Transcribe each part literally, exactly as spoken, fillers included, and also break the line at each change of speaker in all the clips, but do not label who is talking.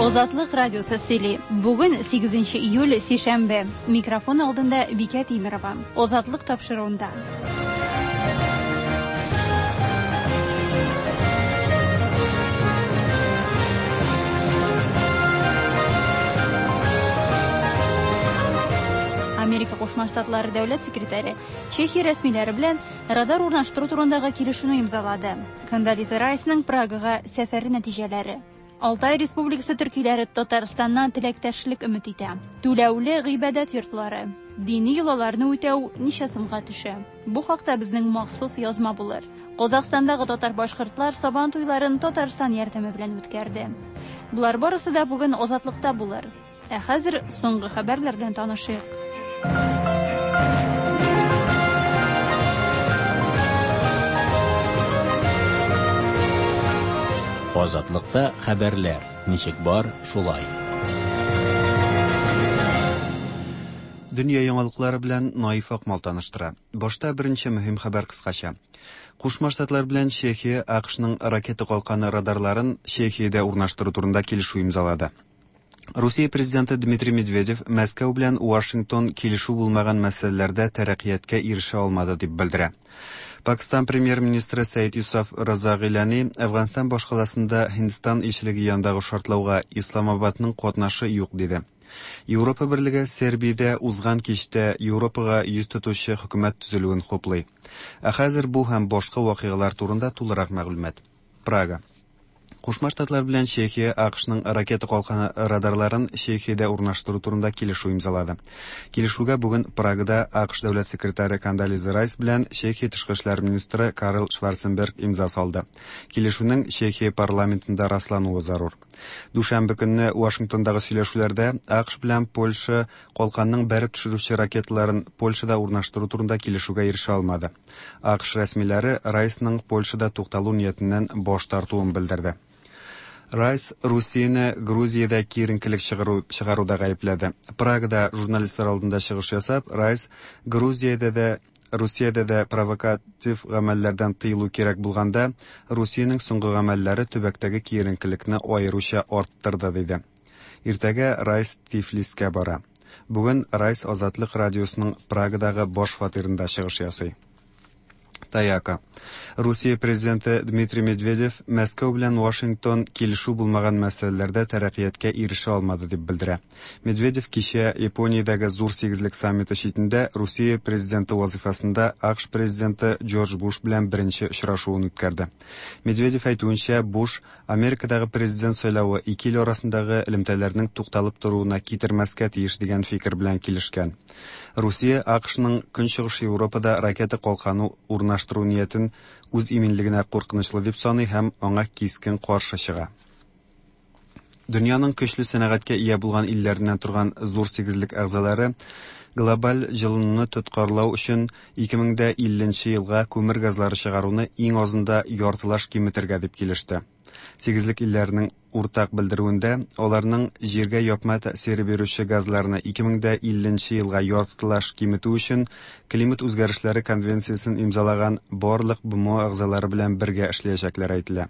Азатлык радиосы сөйли. Бүген сигезенче июль, сишәмбе. Микрофон алдында Бикә Тимирова. Азатлык тапшыруында. Америка Кушма Штатлары дәүләт секретаре Чехия рәсмиләре белән радар урнаштыру турындагы килешүне имзалады. Кондолиза Райсның Прагага сәфәре нәтиҗәләре. Алтай Республикасы төркиләре Татарстаннан теләктәшлек өмет итә. Түләүле гыйбадәт йортлары. Дини йолаларны үтәү ничә сумга төшә? Бу хакта безнең махсус язма булыр. Казахстандагы татар-башкортлар Сабан туйларын Татарстан ярдәме белән үткәрде. Булар барысы да бүген Азатлыкта булыр. Ә хәзер соңгы хәбәрләр белән танышыйк.
Азатлыкта хәбәрләр ничек бар, шулай.
Дөнья яңалыклары белән Наиф Акмал таныштыра. Башта беренче мөһим хәбәр кыскача. Кушма Штатлар белән Чехия АКШның ракета калканы радарларын Чехиядә урнаштыру турында килешү имзалады. Русия президенты Дмитрий Медведев Мәскәү белән Вашингтон килешү булмаган мәсьәләләрдә тәрәккыятькә ирешә алмады дип белдерә. Пакистан премьер-министры Сәид Юсаф Раза Гилани Әфганстан башкаласында Һиндстан илчелеге янындагы шартлауга Исламабадның катнашы юк диде. Европа берлеге Сербиядә узган кичтә Европага йөз тотучы хөкүмәт төзелүен хуплый. Ә хәзер бу һәм башка вакыйгалар турында тулырак мәгълүмат. Прага. Кушма Штатлар белән Чехия АКШның ракета калканы радарларын Чехиядә урнаштыру турында килешү имзалады. Килешүгә бүген Прагада АКШ дәүләт секретаре Кондолиза Райс белән Чехия тышкы эшләр министры Карл Шварценберг имза салды. Килешүнең Чехия парламентында раслануы зарур. Дүшәмбе көнне Вашингтондагы сөйләшүләрдә АКШ белән Польша калканның бәреп төшерүче ракеталарын Польшада урнаштыру турында килешүгә ирешә алмады. АКШ рәсмиләре Райсның Польшада тукталу ниятеннән баш тартуын белдерде. Райс Русияне Грузиядә киеренкелек чыгару, чыгаруда гаепләде. Прагада журналистлар алдында чыгыш ясап, Райс Грузиядә дә Русиядә дә провокатив гамәлләрдән тыелу кирәк булганда, Русиянең соңгы гамәлләре төбәктәге киеренкелекне аеруча арттырды, диде. Иртәгә Райс Тифлискә бара. Бүген Райс Азатлык радиосының Прагадагы баш фатирында чыгыш ясый. Таяка. Русия президенты Дмитрий Медведев Мәскәү белән Вашингтон килешү булмаган мәсьәләләрдә тәрәккыятькә ирешә алмады дип белдерә. Медведев кичә Япониядәге зур сигезлек саммиты читендә Русия президенты вазифасында АКШ президенты Джордж Буш белән беренче очрашуын үткәрде. Медведев әйтүенчә, Буш Америкадагы президент сайлавы ике ил арасындагы элемтәләрнең тукталып торуына китермәскә тиеш дигән фикер белән килешкән. Русия АКШның Көнчыгыш Европада ракета калканы урнаштыру ниятен үз иминлегенә куркынычлы дип саный һәм аңа кискен каршы чыга. Дөньяның көчле сәнәгатькә ия булган илләреннән торган зур сигезлек әгъзалары глобаль җылынуны тоткарлау өчен ике мең дә илленче елга күмер газлары чыгаруны иң азында яртылаш киметергә дип килеште. Сигезлек илләренең уртак белдерүендә аларның җиргә япма тәэсире бирүче газларны ике мең дә илленче елга яртылаш киметү өчен климат үзгәрешләре конвенциясен имзалаган барлык БМО әгъзалары белән бергә эшләячәкләр әйтелә.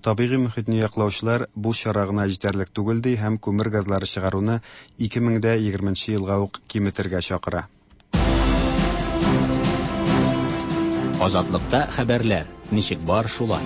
Табигый мөхитне яклаучылар бу чара гына җитәрлек түгел ди һәм күмер газлары чыгаруны ике мең дә егерменче елга ук киметергә чакыра.
Азатлыкта хәбәрләр ничек бар, шулай.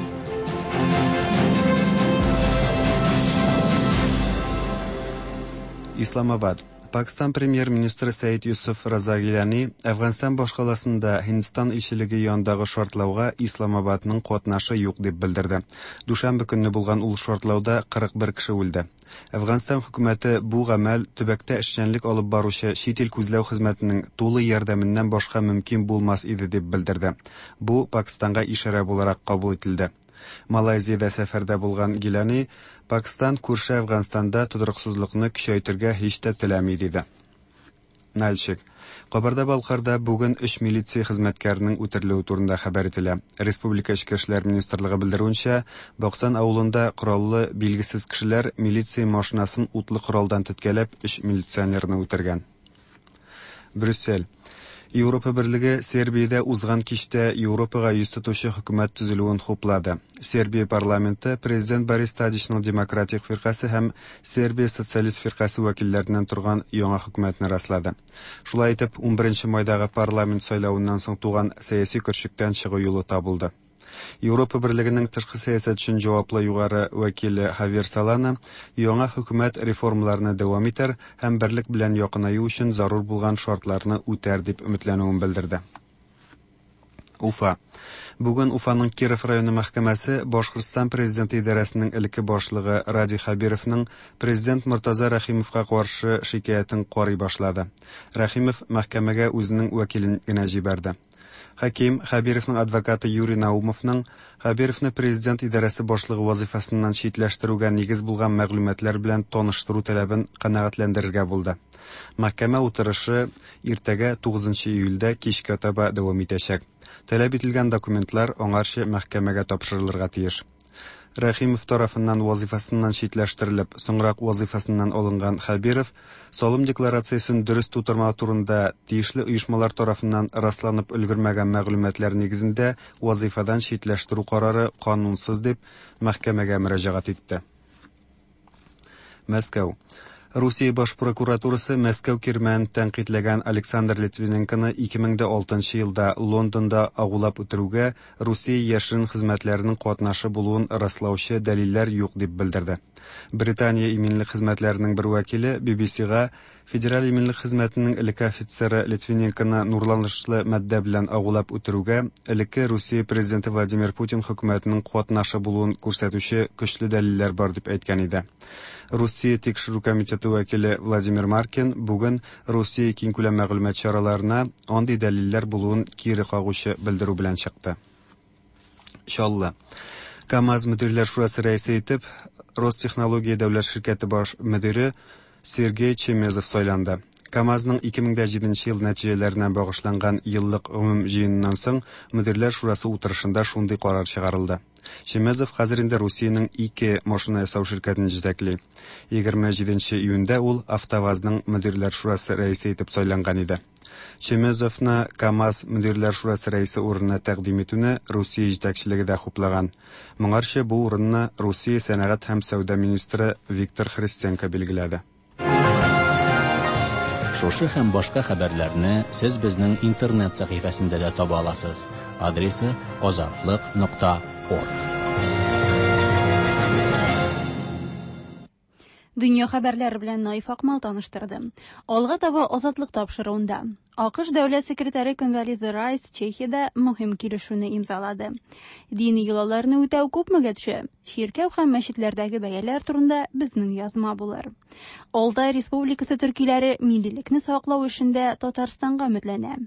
Исламабад. Пакистан премьер-министры Сәид Юсуф Раза Гилани Әфганстан башкаласында Һиндстан илчелеге янындагы шартлауга Исламабадның катнашы юк дип белдерде. Дүшәмбе көнне булган ул шартлауда кырык бер кеше үлде. Әфганстан хөкүмәте бу гамәл төбәктә эшчәнлек алып баручы чит ил күзләү хезмәтенең тулы ярдәменнән башка мөмкин булмас иде дип белдерде. Бу Пакистанга ишарә буларак кабул ителде. Малайзиядә сәфәрдә булган Гилани Пакистан күрше Әфганстанда тотрыксызлыкны көчәйтергә һич тә теләми диде. Нальчик. Кабарда-Балкарда бүген өч милиция хезмәткәренең үтерелүе турында хәбәр ителә. Республика Эчке эшләр министрлыгы белдерүенчә, Баксан авылында кораллы билгесез кешеләр милиция машинасын утлы коралдан теткәләп өч милиционерны үтергән. Брюссель. Европа Берлеге Сербиядә узган кичтә Европага йөз тотучы хөкүмәт төзелүен хуплады. Сербия парламенты президент Борис Тадичның Демократик фиркасе һәм Сербия социалист фиркасе вәкилләреннән торган яңа хөкүмәтне раслады. Шулай итеп, унберенче майдагы парламент сайлавыннан соң туган сәяси көрчектән чыгу юлы табылды. Европа Берлегенең тышкы сәясәт өчен җаваплы югары вәкиле Хавьер Солана яңа хөкүмәт реформаларны дәвам итәр һәм берлек белән якынаю өчен зарур булган шартларны үтәр дип өметләнүен белдерде. Уфа. Бүген Уфаның Киров районы мәхкәмәсе Башкортстан президенты идарәсенең элекке башлыгы Радий Хәбировның президент Мортаза Рәхимовка каршы шикаятен карый башлады. Рәхимов мәхкәмәгә үзенең вәкилен генә җибәрде. Хаким Хәбировның адвокаты Юрий Наумовның Хәбировны президент идарәсе башлыгы вазифасыннан читләштерүгә нигез булган мәгълүматлар белән таныштыру таләбен канәгатьләндерергә булды. Мәхкәмә утырышы иртәгә тугызынчы июльдә кичкә таба дәвам итәчәк. Таләп ителгән документлар аңарчы мәхкәмәгә тапшырылырга тиеш. Рәхимов тарафыннан вазифасыннан читләштерелеп, соңрак вазифасыннан алынган Хәбиров салым декларациясен дөрес тутырмау турында тиешле оешмалар тарафыннан расланып өлгермәгән мәгълүматлар нигезендә вазифадан читләштерү карары канунсыз дип мәхкәмәгә мөрәҗәгать итте. Мәскәү. Русия баш прокуратурасы Мәскәү кирмәнен тәнкыйтьләгән Александр Литвиненконы ике мең дә алтынчы елда Лондонда агулап үтерүгә Русия яшерен хезмәтләренең катнашы булуын раслаучы дәлилләр юк дип белдерде. Британия иминлек хезмәтләренең бер вәкиле Би Би Си-га Федераль иминлек хезмәтенең элекке офицеры Литвиненконы нурланышлы матдә белән агулап үтерүгә элекке Русия президенты Владимир Путин хөкүмәтенең катнашы булуын күрсәтүче көчле дәлилләр бар дип әйткән иде. Русия тикшерү комитеты вәкиле Владимир Маркин бүген Русия киңкүләм мәгълүмат чараларына андый дәлилләр булуын кире кагучы белдерү белән чыкты. Чаллы. КАМАЗ мөдирләр шурасы рәисе итеп Ростехнология дәүләт ширкәте баш мөдире Сергей Чемезов сайланды. КАМАЗның ике мең дә җиденче ел нәтиҗәләренә багышланган еллык гомум җыеныннан соң мөдирләр шурасы утырышында шундый карар чыгарылды. Чемезов хәзер инде Русиянең ике машина ясау ширкәтен җитәкли. Егерме җиденче июньдә ул АвтоВАЗның мөдирләр шурасы рәисе итеп сайланган иде. Чемезовны КАМАЗ мөдирләр шурасы рәисе урынына тәкъдим итүне Русия җитәкчелеге дә хуплаган. Моңарчы бу урынны Русия сәнәгать һәм сәүдә министры Виктор Христенко билгеләде.
Шушы һәм башка хәбәрләрне сез безнең интернет сәхифәсендә дә таба аласыз. Адресы азатлык нокта орг.
Дөнья хәбәрләре белән Наиф Акмал таныштырды. Алга таба Азатлык тапшыруында АКШ дәүләт секретаре Кондолиза Райс Чехиядә мөһим килешүне имзалады. Дини йолаларны үтәү күпмегә төшә? Чиркәү һәм мәчетләрдәге бәяләр турында безнең язма булыр. Алтай Республикасы төркиләре миллилекне саклау эшендә Татарстанга өметләнә.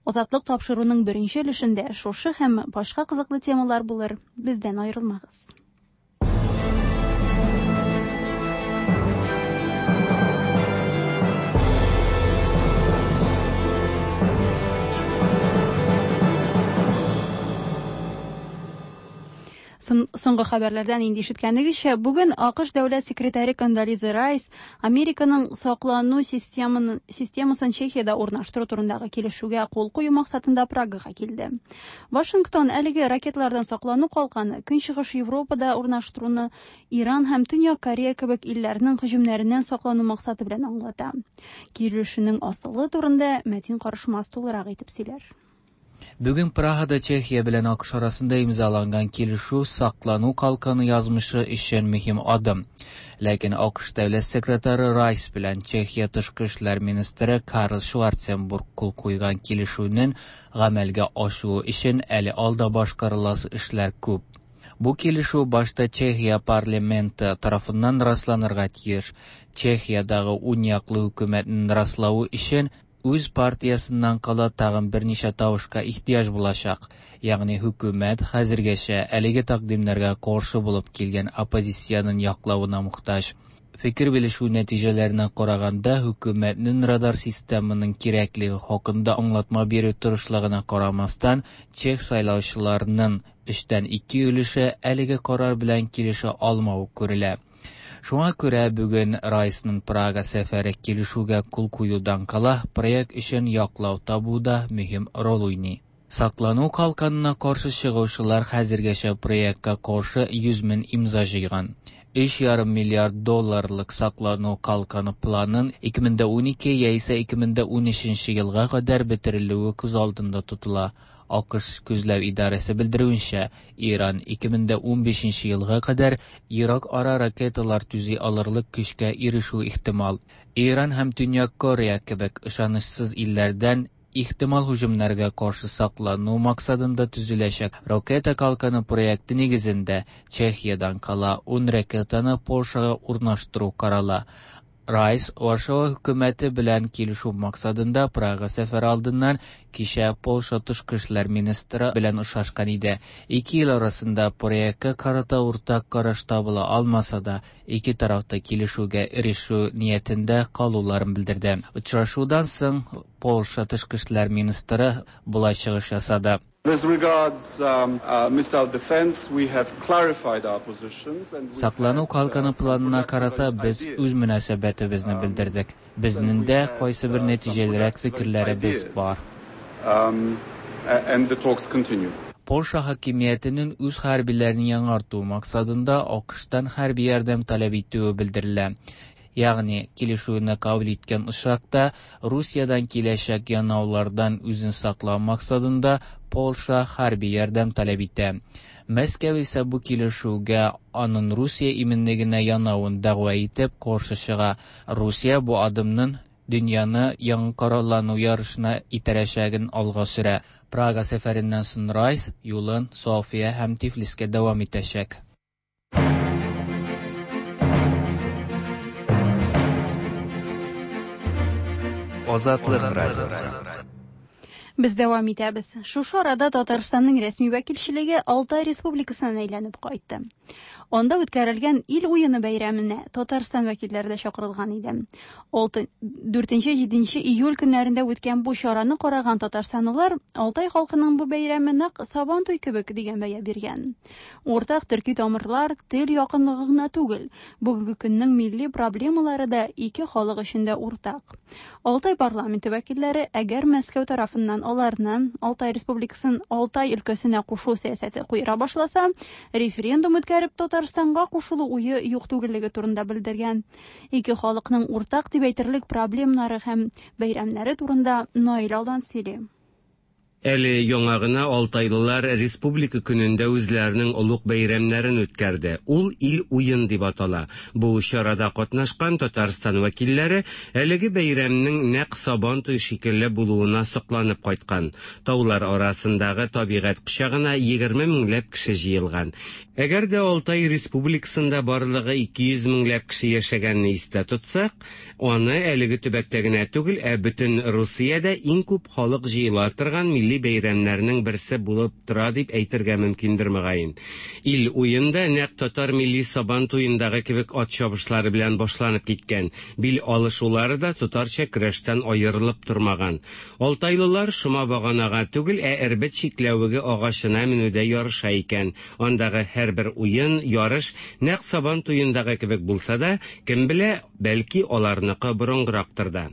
Азатлык тапшыруның беренче өлешендә шушы һәм башка кызыклы темалар булыр. Бездән аерылмагыз. Соңгы хәбәрләрдән инде ишеткәнегезчә, бүген АКШ дәүләт секретаре Кондолиза Райс Американың саклану системасын Чехиядә урнаштыру турындагы килешүгә кул кую максатында Прагага килде. Вашингтон әлеге ракеталардан саклану калканы Көнчыгыш Европада урнаштыруны Иран һәм Төньяк Корея кебек илләрнең һөҗүмнәреннән саклану максаты белән аңлата. Килешүнең асылы турында Мәтин Карышмас тулырак итеп сөйләр.
Бүген Прагада Чехия белән АКШ арасында имзаланган килешү саклану калканы язмышы өчен мөһим адым. Ләкин АКШ дәүләт секретаре Райс белән Чехия тышкы эшләр министры Карл Шварценбург кул куйган килешүнең гамәлгә ашуы өчен әле алда башкарыласы эшләр күп. Бу килешү башта Чехия парламенты тарафыннан расланырга тиеш. Чехиядагы уняклы хөкүмәтнең раславы өчен үз партиясыннан кала тагын берничә тавышка ихтыяҗ булачак. Ягъни хөкүмәт хәзергәчә әлеге тәкъдимнәргә каршы булып килгән оппозициянең яклавына мохтаҗ. Фикер белешү нәтиҗәләренә караганда, хөкүмәтнең радар системының кирәклеге хакында аңлатма бирү тырышлыгына карамастан, чех сайлаучыларының өчтән ике өлеше әлеге карар белән килешә алмавы күрелә. Шуңа күрә бүген Райсның Прага сәфәре килешүгә кул куюдан кала проект өчен яклау табуда мөһим роль уйный. Саклану калканына каршы чыгучылар хәзергәчә проектка каршы йөз мең имза җыйган. Өч ярым миллиард долларлык саклану калканы планын ике мең дә унике яисә ике мең дә унөченче елга кадәр бетерелүе күз алдында тотыла. АКШ күзләү идарәсе белдерүенчә, Иран ике мең дә унбишенче елга кадәр ерак ара ракеталар төзи алырлык көчкә ирешү ихтимал. Иран һәм Төньяк Корея кебек ышанычсыз илләрдән ихтимал һөҗүмнәргә каршы саклану максатында төзеләчәк ракета калканы проекты нигезендә Чехиядән кала ун ракетаны Польшага урнаштыру карала. Райс Варшава хөкүмәте белән килешү максатында Прага сәфәре алдыннан кичә Польша тышкы эшләр министры белән очрашкан иде. Ике ил арасында проектка карата уртак караш табыла алмаса да, ике тарафта килешүгә ирешү ниятендә калуларын белдерде. Очрашудан соң Польша тышкы эшләр министры болай чыгыш ясады.
As regards, um, uh, missile defense, we have clarified our positions and we've
Саклану
had, uh,
калканы
some
планына
productive
карата без
ideas.
үз мөнәсәбәтебезне
Um,
белдердек.
and
Безнең
we
дә
had,
кайсы бер
uh, some
нәтиҗәлерәк
productive
фикерләребез
ideas.
бар.
Um, a-, and the talks continue.
Польша хакимиятенең үз хәрбиләрен яңарту максатында АКШтан хәрби ярдәм таләп итүе белдерелә. Ягъни килешүне кабул иткән очракта Русиядән киләчәк янаулардан үзен саклау максатында Польша хәрби ярдәм таләп итә. Мәскәү исә бу килешүгә аның Русия иминлегенә янавын дәгъва итеп каршы чыга. Русия бу адымның дөньяны яңа кораллану ярышына итәрәчәген алга сөрә. Прага сәфәреннән соң Райс юлын София һәм Тифлискә дәвам итәчәк.
Азатлык радиосы.
Без дәвам итәбез. Шушы арада Татарстанның рәсми вәкилчелеге Алтай Республикасына әйләнеп кайтты. Анда үткәрелгән ил уены бәйрәменә Татарстан вәкилләре дә чакырылган иде. Алты, дүртенче, җиденче июль көннәрендә үткән бу чараны караган татарстанлылар Алтай халкының бу бәйрәме нәкъ Сабантуй кебек дигән бәя биргән. Уртак төрки тамырлар, тел якынлыгы гына түгел, бүгенге көннең милли проблемалары да ике халык өчен дә уртак. Алтай парламенты вәкилләре әгәр Мәскәү тарафыннан аларны Алтай Республикасын Алтай өлкәсенә кушу сәясәте куера башласа, референдум үткәреп Татарстанга кушылу уе юк түгеллеге турында белдергән. Ике халыкның уртак дип әйтерлек проблемнары һәм бәйрәмнәре турында Наил Алдан сөйли.
Әле яңа гына Алтайлылар Республика көнендә үзләренең олуг бәйрәмнәрен үткәрде. Ул ил уен дип атала. Бу чарада катнашкан Татарстан вәкилләре әлеге бәйрәмнең нәкъ Сабантуй шикелле булуына сокланып кайткан. Таулар арасындагы табигать кочагына егерме меңләп кеше җыелган. Әгәр дә Алтай Республикасында барлыгы ике йөз меңләп кеше яшәгәнне истә тотсак, аны әлеге төбәктә генә түгел, ә бөтен Русиядә иң күп халык җыела торган милли бәйрәмнәрнең берсе булып тора дип әйтергә мөмкиндер мөгаен. Ил уенда нәкъ татар милли Сабан туендагы кебек ат чабышлары белән башланып киткән. Бил алышулары да татарча көрәштән аерылып тормаган. Алтайлылар шома баганага түгел, ә эрбет чикләвеге агачына менүдә ярыша икән. Андагы һәрбер уен, ярыш нәкъ Сабан туендагы кебек булса да, кем белә, бәлки аларныкы борынгырактыр да.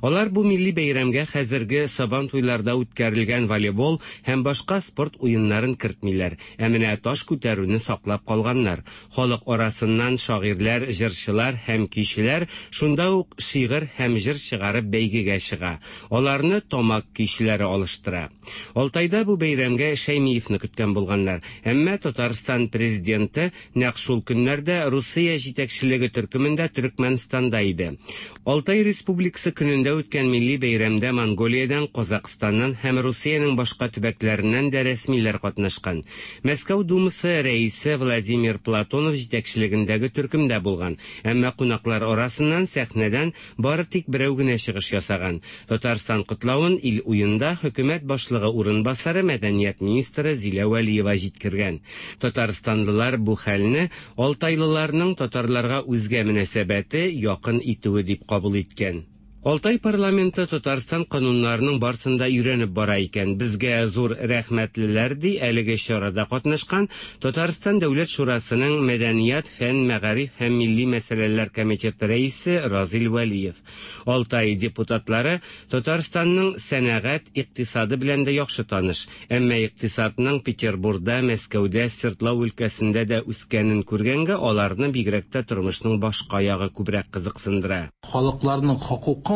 Алар бу милли бәйрәмгә хәзерге Сабан туйларда үткәрелгән волейбол һәм башка спорт уеннарын кертмиләр. Ә менә таш күтәрүне саклап калганнар. Халык арасыннан шагыйрьләр, җырчылар һәм көйчеләр шунда ук шигырь һәм җыр чыгарып бәйгегә чыга. Аларны тамак көйчеләре алыштыра. Алтайда бу бәйрәмгә Шәймиевне көткән булганнар. Әмма Татарстан президенты нәкъ шул көннәрдә Русия җитәкчелеге төркемендә Төркмәнстанда иде. Алтай Республикасы көнендә үткән милли бәйрәмдә Монголиядән, Казакъстаннан һәм Русиянең башка төбәкләреннән дә рәсмиләр катнашкан. Мәскәү Думасы рәисе Владимир Платонов җитәкчелегендәге төркемдә булган. Әмма кунаклар арасыннан сәхнәдән бары тик берәү генә чыгыш ясаган. Татарстан котлавын ил уенда хөкүмәт башлыгы урынбасары мәдәният министры Зилә Вәлиева җиткергән. Татарстанлылар бу хәлне алтайлыларның татарларга үзгә мөнәсәбәте якын итүе дип кабул иткән. Алтай парламенты Татарстан кануннарының барсын да өйрәнеп бара икән. Безгә зур рәхмәтлеләр, ди әлеге чарада катнашкан Татарстан Дәүләт Шурасының Мәдәният, фән, мәгариф һәм милли мәсьәләләр комитеты рәисе Разил Вәлиев. Алтай депутатлары Татарстанның сәнәгать, икътисады белән дә яхшы таныш. Әмма икътисадның Петербургда, Мәскәүдә, Свердлау өлкәсендә дә үскәнен күргәнгә, аларны бигрәк тә тормышның башка ягы күбрәк кызыксындыра.
Халыкларның хокукын,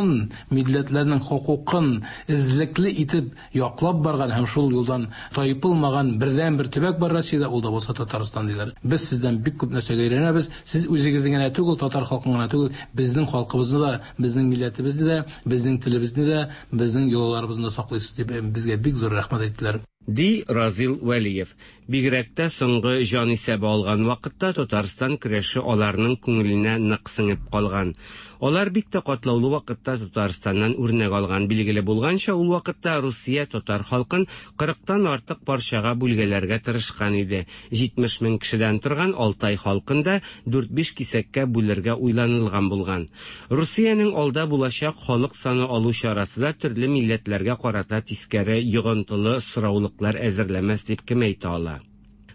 милләтләрнең хокукын эзлекле итеп яклап барган һәм шул юлдан тайпылмаган бердәнбер төбәк бар Россиядә, ул да булса Татарстан диләр. Без сездән бик күп нәрсәгә өйрәнәбез. Сез үзегезне генә түгел, татар халкын гына түгел, безнең халкыбызны да, безнең милләтебезне дә, безнең телебезне дә, безнең йолаларыбызны да саклыйсыз дип безгә бик зур рәхмәт әйттеләр.
Ди Разил Вәлиев. Бигрәк тә соңгы җан исәбе алган вакытта Татарстан көрәше аларның күңеленә нык сеңеп калган. Алар бик тә катлаулы вакытта Татарстаннан үрнәк алган. Билгеле булганча, ул вакытта Русия татар халкын кырыктан артык парчага бүлгәләргә тырышкан иде. җитмеш мең кешедән торган Алтай халкын да дүрт-биш кисәккә бүлергә уйланылган булган. Русиянең алда булачак халык саны алу чарасы да төрле милләтләргә карата тискәре йогынтылы сораулыклар әзерләмәс дип кем әйтә ала?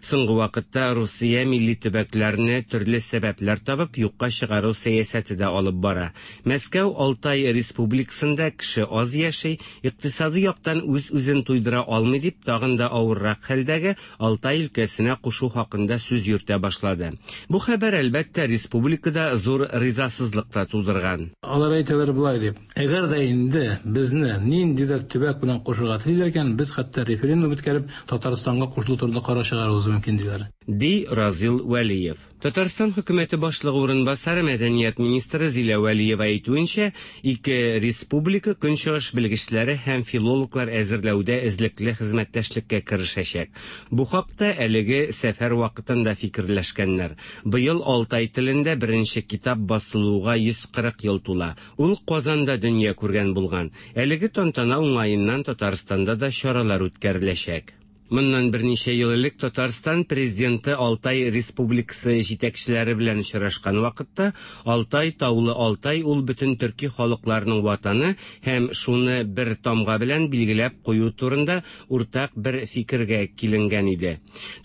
Соңгы вакытта Русия милли төбәкләрне төрле сәбәпләр табып юкка чыгару сәясәте дә алып бара. Мәскәү Алтай республикасында кеше аз яши, икътисади яктан үз-үзен туйдыра алмый дип тагын да авыррак хәлдәге Алтай өлкәсенә кушу хакында сүз йөртә башлады. Бу хәбәр әлбәттә республикада зур ризасызлык та тудырган.
Алар әйтәләр болай дип: әгәр дә инде безне ниндидер төбәк белән кушырга телиләр икән, без хәтта референдум үткәреп Татарстанга кушылу турында карар чыгаруыбыз мөмкин диләр.
Ди Разил Вәлиев. Татарстан хөкүмәте башлыгы урынбасары мәдәният министры Зилә Вәлиева әйтүенчә, ике республика көнчыгыш белгечләре һәм филологлар әзерләүдә эзлекле хезмәттәшлеккә керешәчәк. Бу хакта әлеге сәфәр вакытында фикерләшкәннәр. Быел Алтай телендә беренче китап басылуга йөз кырык ел тула. Ул Казанда дөнья күргән булган. Әлеге тантана уңаеннан Татарстанда да чаралар үткәреләчәк. Моннан берничә ел элек Татарстан президенты Алтай республикасы җитәкчеләре белән очрашкан вакытта Алтай таулы Алтай ул бөтен төрки халыкларның ватаны һәм шуны бер тамга белән билгеләп кую турында уртак бер фикергә киленгән иде.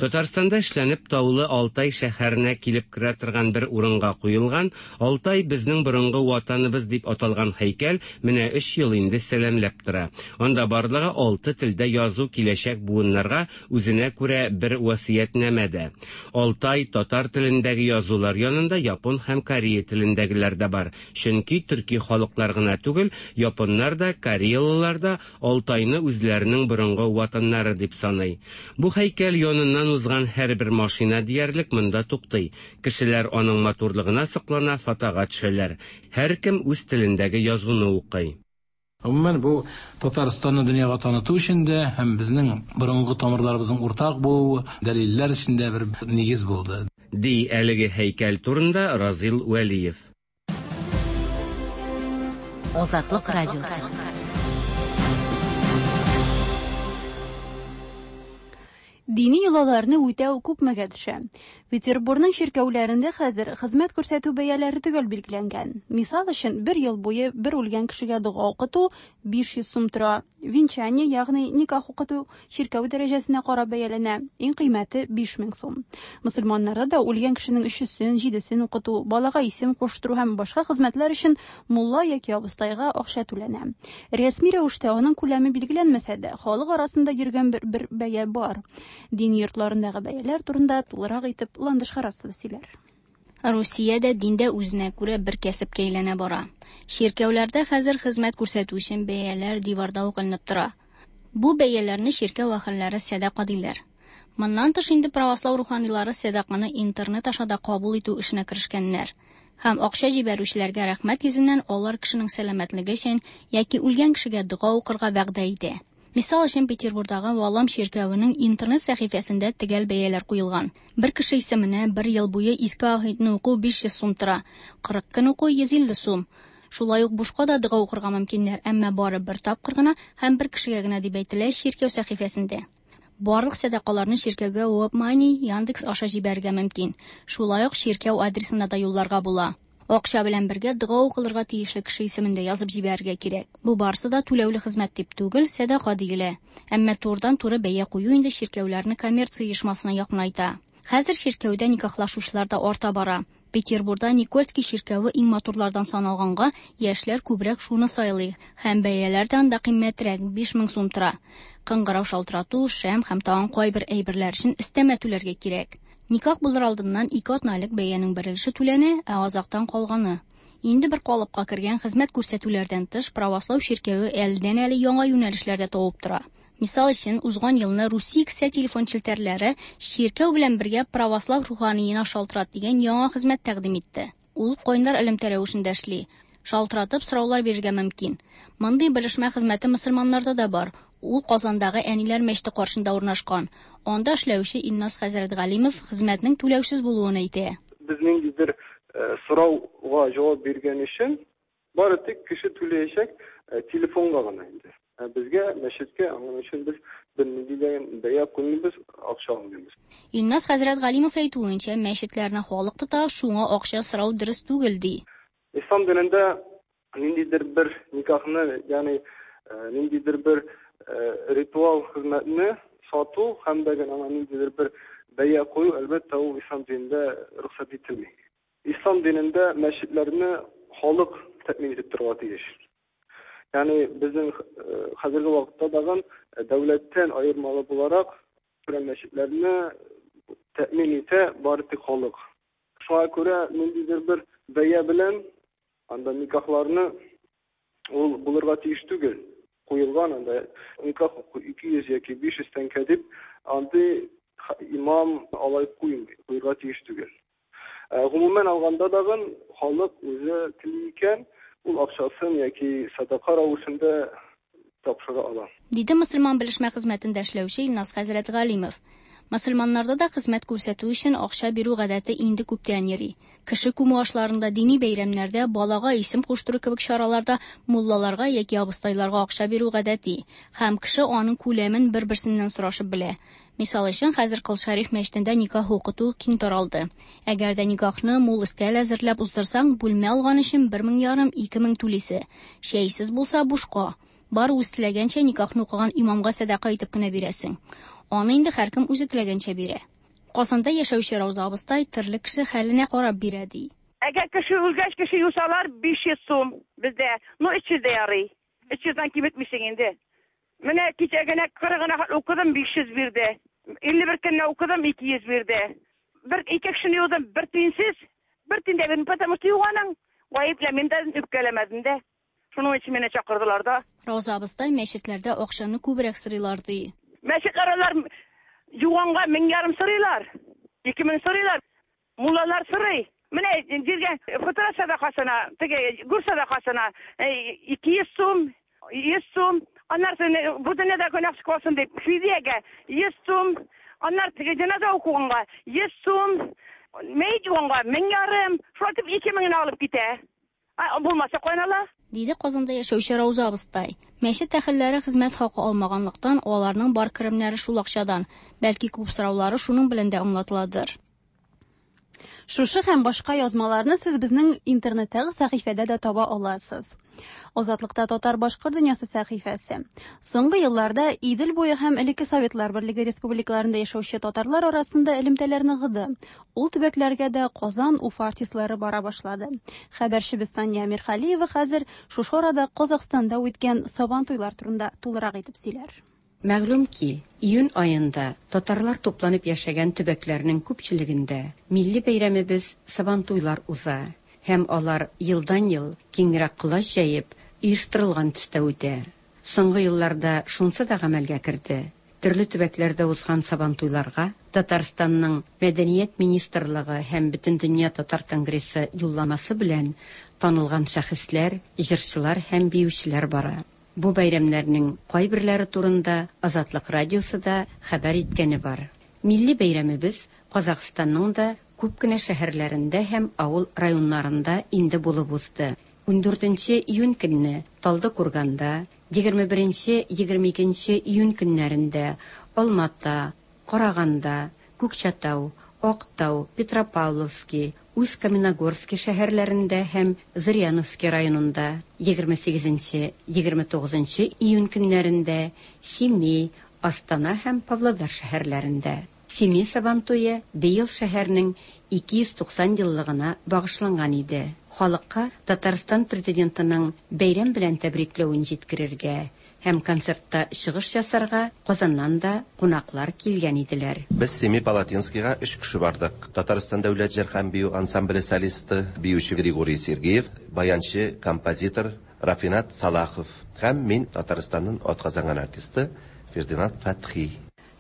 Татарстанда эшләнеп таулы Алтай шәһәренә килеп керә торган бер урынга куелган Алтай безнең борынгы ватаныбыз дип аталган һәйкәл менә өч ел инде сәламләп тора. Анда барлыгы алты телдә язу киләчәк буыннарга үзенә күрә бер васыятьнамә дә. Алтай татар телендәге язулар янында япон һәм корея телендәгеләр дә бар. Чөнки төрки халыклар гына түгел, японнар да, кореялылар да Алтайны үзләренең борынгы ватаннары дип саный. Бу һәйкәл яныннан узган һәрбер машина диярлек монда туктый. Кешеләр аның матурлыгына соклана, фотога төшәләр. Һәркем үз телендәге язуны укый.
Гомумән, бу Татарстанны дөньяга таныту өчен дә һәм безнең борынгы тамырларыбызның уртак булуы дәлилләр өчен дә бер нигез булды.
Ди әлеге һәйкәл турында Разил Вәлиев.
Азатлык радиосы.
Дини йолаларны үтәү күпмегә төшә. Петербургның чиркәүләрендә хәзер хезмәт күрсәтү бәяләре төгәл билгеләнгән. Мисал өчен, бер ел буе бер үлгән кешегә дога укыту биш йөз сум тора. Венчание, ягъни никах укыту чиркәү дәрәҗәсенә карап бәяләнә. Иң кыйммәте биш мең сум. Мөселманнарда да үлгән кешенең өчесен, җидесен укыту, балага исем куштыру һәм башка хезмәтләр өчен мулла яки абыстайга акча түләнә. Рәсми рәвештә аның күләме билгеләнмәсә дә, халык арасында йөргән бер, бер бәя бар. Дини йортларындагы бәяләр турында тулырак итеп Ландыш Харасова сөйләр.
Русиядә диндә үзенә күрә бер кәсепкә әйләнә бара. Чиркәүләрдә хәзер хезмәт күрсәтү өчен бәяләр диварда ук эленеп тора. Бу бәяләрне чиркәү әһелләре сәдака диләр. Моннан тыш инде православ руханилары сәдаканы интернет аша да кабул итү эшенә керешкәннәр. Һәм акча җибәрүчеләргә рәхмәт йөзеннән алар кешенең сәламәтлеге өчен яки үлгән кешегә дога укырга вәгъдә итә. Мисал өчен, Петербургдагы Валам чиркәвенең интернет сәхифәсендә төгәл бәяләр куелган. Бер кеше исеменә бер ел буе Иске Аһитне уку биш йөз сум тора, кырык көн уку йөз илле сум. Шулай ук бушка да дога укырга мөмкиннәр, әмма бары бер тапкыр гына һәм бер кешегә генә дип әйтелә чиркәү сәхифәсендә. Барлык сәдакаларны чиркәүгә WebMoney, Яндекс аша җибәрергә мөмкин. Шулай ук чиркәү адресына да юлларга була. Акча белән бергә дога укылырга тиешле кеше исемен дә язып җибәрергә кирәк. Бу барысы да түләүле хезмәт дип түгел, сәдака диелә. Әмма турыдан-туры бәя кую инде чиркәүләрне коммерция оешмасына якынайта. Хәзер чиркәүдә никахлашучылар да арта бара. Петербурда Никольский чиркәве иң матурлардан саналганга, яшьләр күбрәк шуны сайлый. Һәм бәяләр дә анда кыйммәтрәк, биш мең сум тора. Кыңгырау шалтырату, шәм һәм тагын кайбер әйберләр өчен өстәмә түләргә кирәк. Никах булыр алдыннан ике атна элек бәянең бер өлеше түләнә, ә азактан калганы. Инде бер калыпка кергән хезмәт күрсәтүләрдән тыш, правослау чиркәве әледән-әле яңа юнәлешләрдә тавып тора. Мисал өчен, узган елны Русия кесә телефон челтәрләре чиркәү белән бергә православ руханиена шалтырат дигән яңа хезмәт тәкъдим итте. Ул кайнар элемтә рәвешендә эшли. Шалтыратып сораулар бирергә мөмкин. Мондый белешмә хезмәте мөселманнарда да бар. Ул Казандагы Әниләр мәчете каршында урнашкан. Анда эшләүче Илназ хәзрәт Галимов хезмәтнең түләүсез булуын әйтә.
Без ниндидер сорауга җавап биргән өчен бары тик кеше түләячәк телефонга гына инде. Безгә мәчеткә аның өчен без бернинди дә бәя куймыйбыз, акча алмыйбыз.
Илназ хәзрәт Галимов әйтүенчә, мәчетләрне халык тота, шуңа акча сорау дөрес түгел ди.
Ислам динендә ниндидер бер никахны, ягъни ниндидер бер ритуал хезмәтне сату һәм дә аңа ниндидер бер бәя кую, әлбәттә, ул ислам динендә рөхсәт ителми. Ислам динендә мәчетләрне халык тәэмин итеп торырга тиеш. Ягъни безнең хәзерге вакытта дагын дәүләттән аермалы буларак мәчетләрне тәэмин итә бары тик халык. Шуңа күрә ниндидер бер бәя белән анда никахларны ул булырга тиеш түгел. Куелган анда никах ике йөз яки биш йөз тәңкә дип андый имам алай куймый, куярга тиеш түгел. Гомумән алганда дагын халык үзе тели икән, ул акчасын яки садака рәвешендә тапшыра ала.
Диде мөселман белешмә хезмәтендә эшләүче Илназ хәзрәт Галимов. Мөселманнарда да хезмәт күрсәтү өчен акча бирү гадәте инде күптән йөри. Кеше күмү ашларында, дини бәйрәмнәрдә, балага исем куштыру кебек чараларда муллаларга яки абыстайларга акча бирү гадәти. Һәм кеше аның күләмен бер-берсеннән сорашып белә. Мисал өчен, хәзер Кол Шәриф мәчетендә никах укыту киң таралды. Әгәр дә никахны мул өстәл әзерләп уздырсаң, бүлмә алган өчен бер мең ярым, ике мең түлисе. Чәйсез булса бушка. Бар үз теләгәнчә никахны укыган имамга сәдака итеп кенә бирәсең. Аны инде һәркем үзе теләгәнчә бирә. Казанда яшәүче Рауза абыстай төрле кеше хәленә карап бирә ди.
Әгәр кеше үлгәч кеше юсалар биш йөз сум бездә. Ну өч йөз дә ярый. Өч йөздән киметмисең инде. Менә кичә генә кырыгына укыдым биш йөз бирде. Илле бер көнне укыдым ике йөз бирде. Бер ике кешене юдым бер тиенсез, бер тиен дә бирмәдем, потому что юганың. Гаепләмим дә, үпкәләмәдем дә. Шуның өчен мине чакырдылар да.
Рауза абыстай мәчетләрдә акчаны күбрәк сорыйлар ди.
Мәчетләр алар юганга мең ярым сорыйлар, ике мең сорыйлар. Муллалар сорый. Менә җиргә фытра сәдакасына, теге гүр сәдакасына ике йөз сум, йөз сум. Аннары бу дөньяда гөнаһ калсын дип фидиягә йөз сум, аннары теге җеназа укуганга йөз сум, мәет юганга мең ярым, шулай итеп ике меңне алып китә. Булмаса кайнала.
Диде Казанда яшәүче Рауза абыстай. Мәчет әһелләре хезмәт хакы алмаганлыктан, аларның бар керемнәре шул акчадан. Бәлки күп сораулары шуның белән дә аңлатыладыр.
Шушы һәм башка язмаларны сез безнең интернеттагы сәхифәдә дә таба аласыз. Азатлыкта татар башкорт дөньясы сәхифәсе. Соңгы елларда Идел буе һәм элекке Советлар Берлеге республикаларында яшәүче татарлар арасында элемтәләр ныгыды. Ул төбәкләргә дә Казан, Уфа артистлары бара башлады. Хәбәрчебез Сания Мирхалиева хәзер шушы арада Казахстанда үткән Сабантуйлар турында тулырак итеп сөйләр.
Мәгълүм ки, июнь айында татарлар тупланып яшәгән төбәкләрнең күпчелегендә милли бәйрәмебез Сабантуйлар уза һәм алар елдан-ел киңрәк колач җәеп оештырылган төстә үтә. Соңгы елларда шунсы да гамәлгә керде. Төрле төбәкләрдә узган Сабантуйларга Татарстанның Мәдәният министрлыгы һәм Бөтендөнья татар конгрессы юлламасы белән танылган шәхесләр, җырчылар һәм биючеләр бара. Бу бәйрәмнәрнең кайберләре турында Азатлык радиосы да хәбәр иткәне бар. Милли бәйрәмебез Казахстанның да күп кенә шәһәрләрендә һәм авыл районнарында инде булып узды. Ундүртенче июнь көнне Талдыкурганда, егерме беренче, егерме икенче июнь көннәрендә Алмата, Караганда, Күкчәтау, Актау, Петропавловский, Усть-Каменогорски шәһәрләрендә һәм Зыряновски районында, егерме сигезенче, егерме тугызынчы июнь көннәрендә Семей, Астана һәм Павлодар шәһәрләрендә. Семей Сабантуе быел шәһәрнең ике йөз туксан еллыгына багышланган иде. Халыкка Татарстан президентының бәйрәм белән тәбрикләвен җиткерергә һәм концертта чыгыш ясарга Казаннан да кунаклар килгән иделәр.
Без Семипалатинскийга өч кеше бардык. Татарстан дәүләт җыр һәм бию ансамбле солисты, биюче Григорий Сергеев, баянчы, композитор Рафинат Салахов һәм мин, Татарстанның атказанган артисты Фердинанд Фәтхи.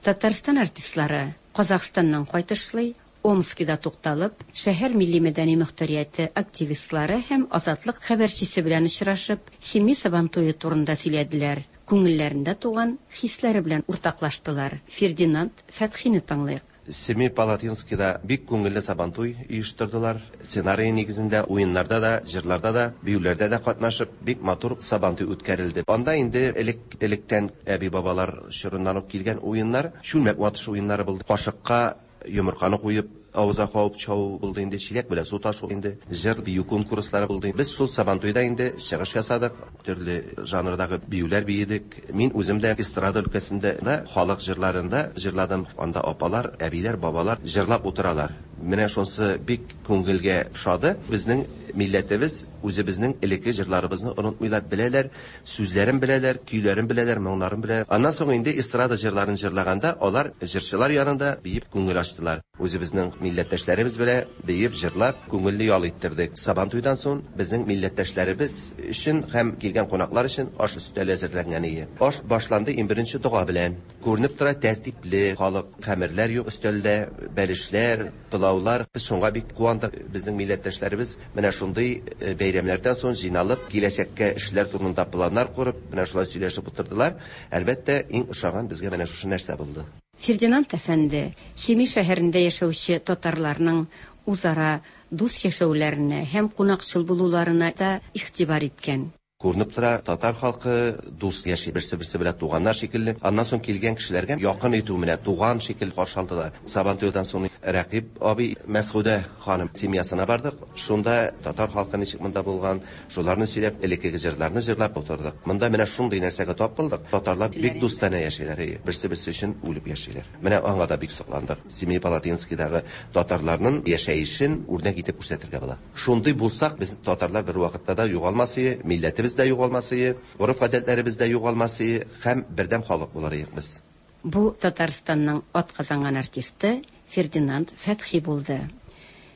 Татарстан артистлары Казахстаннан кайтышлый Омскида тукталып, шәһәр милли мәдәни мөхтәрияте активистлары һәм Азатлык хәбәрчесе белән очрашып, Семей Сабантуе турында сөйләделәр, күңелләрендә туган хисләре белән уртаклаштылар. Фердинанд Фәтхине тыңлыйк.
Семипалатинскийда бик күңелле Сабантуй оештырдылар. Сценарий нигезендә уеннарда да, җырларда да, биюләрдә дә катнашып, бик матур Сабантуй үткәрелде. Анда инде элек электән әби-бабалар чорыннан ук килгән уеннар, чүлмәк ватыш уеннары булды. Кашыкка йомырканы куеп, авызга кабып чабу булды инде, чиләк белән су ташу инде, җыр бию конкурслары булды. Без шул Сабантуйда инде чыгыш ясадык, төрле жанрдагы биюләр биедек. Мин үзем дә эстрада өлкәсендә дә халык җырларында җырладым. Анда апалар, әбиләр, бабалар җырлап утыралар. Менә шунсы бик күңелгә ошады. Безнең милләтебез үзебезнең элекке җырларыбызны онытмыйлар, беләләр, сүзләрен беләләр, көйләрен беләләр, моңнарын беләләр. Аннан соң инде эстрада җырларын җырлаганда алар җырчылар янында биеп күңел ачтылар. Үзебезнең милләттәшләребез белән биеп, җырлап, күңелле ял иттердек. Сабантуйдан соң безнең милләттәшләребез өчен һәм килгән кунаклар өчен аш өстәле әзерләнгән иде. Аш башланды иң беренче дога белән. Күренеп тора тәртипле халык, хәмерләр юк өстәлдә, бәлешләр, пылаулар. Без шуңа бик куандык. Безнең милләттәшләребез менә шундый бәйрәмнәрдән соң җыйналып, киләчәккә эшләр турында планнар корып, менә шулай сөйләшеп утырдылар. Әлбәттә, иң ошаган безгә менә шушы нәрсә булды.
Фердинанд әфәнде Семей шәһәрендә яшәүче татарларның үзара дус яшәүләренә һәм кунакчыл булуларына да игътибар иткән.
Күренеп тора, татар халкы дус яши, берсе-берсе белән туганнар шикелле. Аннан соң килгән кешеләргә якын итү менә туган шикелле каршы алдылар. Сабантуйдан соң Рәкиб абый Мәсгудә ханым семьясына бардык. Шунда татар халкы ничек монда булган, шуларны сөйләп, элеккеге җырларны җырлап утырдык. Монда менә шундый нәрсәгә тап булдык. Татарлар бик дустанә яшиләр, берсе-берсе өчен үлеп яшиләр. Менә аңа да бик сокландык. Семипалатинскийдагы татарларның яшәешен үрнәк итеп күрсәтергә була. Шундый булсак, без татарлар бер вакытта да югалмас иде, милләтебез дә югалмас иде, гореф-гадәтләребез дә югалмас иде һәм бердәм халык булар идек без.
Бу Татарстанның атказанган артисты Фердинанд Фәтхи булды.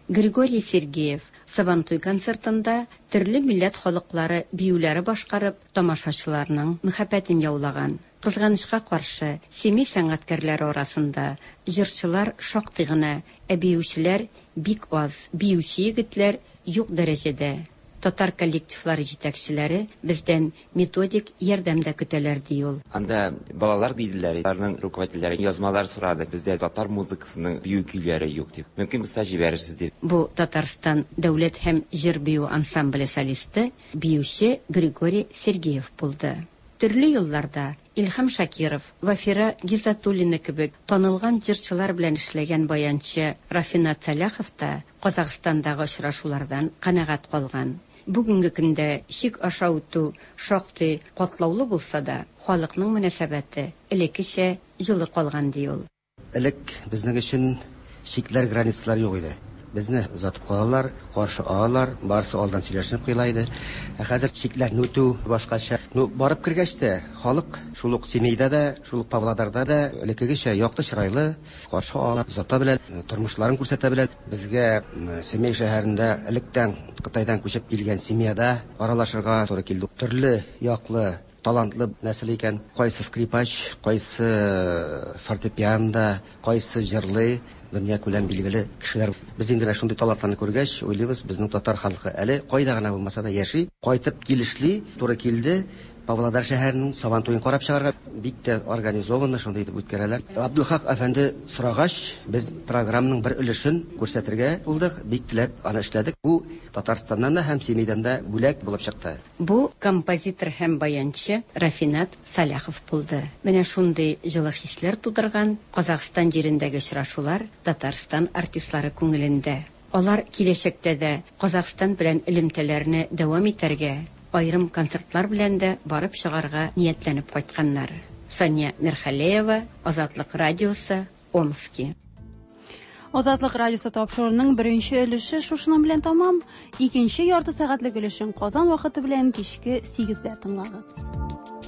Григорий Сергеев Сабантуй концертында төрле милләт халыклары биюләре башкарып, тамашачыларның мәхәббәтен яулаган. Кызганычка каршы, Семей сәнгатькәрләре арасында җырчылар шактый гына, ә биючеләр бик аз, биюче егетләр юк дәрәҗәдә. Татар коллективлары җитәкчеләре бездән методик ярдәм дә көтәләр, ди ул.
Анда балалар биделәр, аларның руководительләре язмалар сорады. Бездә татар музыкасының бию көйләре юк дип. Мөмкин булса җибәрерсез дип.
Бу Татарстан дәүләт һәм җыр бию ансамбле солисты, биюче Григорий Сергеев булды. Төрле елларда Илһам Шакиров, Вафира Гизатуллина кебек танылган җырчылар белән эшләгән баянчы Рафинат Саляхов та Казахстандагы очрашулардан канәгать калган. Бүгенге көндә чик аша үтү шактый катлаулы булса да, халыкның мөнәсәбәте элеккечә җылы калган, ди ул.
Элек безнең өчен чикләр, границалар юк иде. Безне озатып калалар, каршы алалар, барысы алдан сөйләшенеп куела иде. Ә хәзер чикләрне үтү башкача. Ну, барып кергәч тә, халык шул ук Семейдә дә, шул ук Павлодарда да элеккегечә якты чырайлы, каршы ала, озата белә, тормышларын күрсәтә белә. Безгә Семей шәһәрендә электән Кытайдан күчеп килгән семьяда аралашырга туры килде. Төрле яклы талантлы нәсел икән. Кайсы скрипач, кайсы фортепианда, кайсы җырлый, дөнья күләм билгеле кешеләр. Без инде шундый талантларны күргәч, уйлыйбыз, безнең татар халкы әле кайда гына булмаса да яши, кайтып килешли, туры килде. Павлодар шәһәренең Сабантуен карап чыгарга бик тә организованно шундый итеп үткәрәләр. Абдулхак әфәнде сорагач, без программаның бер өлешен күрсәтергә булдык, бик теләп аны эшләдек. Бу Татарстаннан да һәм Семейдән дә бүләк булып чыкты.
Бу композитор һәм баянчы Рафинат Саляхов булды. Менә шундый җылы хисләр тудырган Казахстан җирендәге очрашулар Татарстан артистлары күңелендә. Алар киләчәктә дә Казахстан белән элемтәләрне дәвам итәргә, аерым концертлар белән дә барып чыгарга ниятләнеп кайтканнар. Сания Мирхалеева, Азатлык радиосы, Омски.
Азатлык радиосы тапшыруының беренче өлеше шушының белән тамам. Икенче ярты сәгатьлек өлешен Казан вакыты белән кичке сигездә тыңлагыз.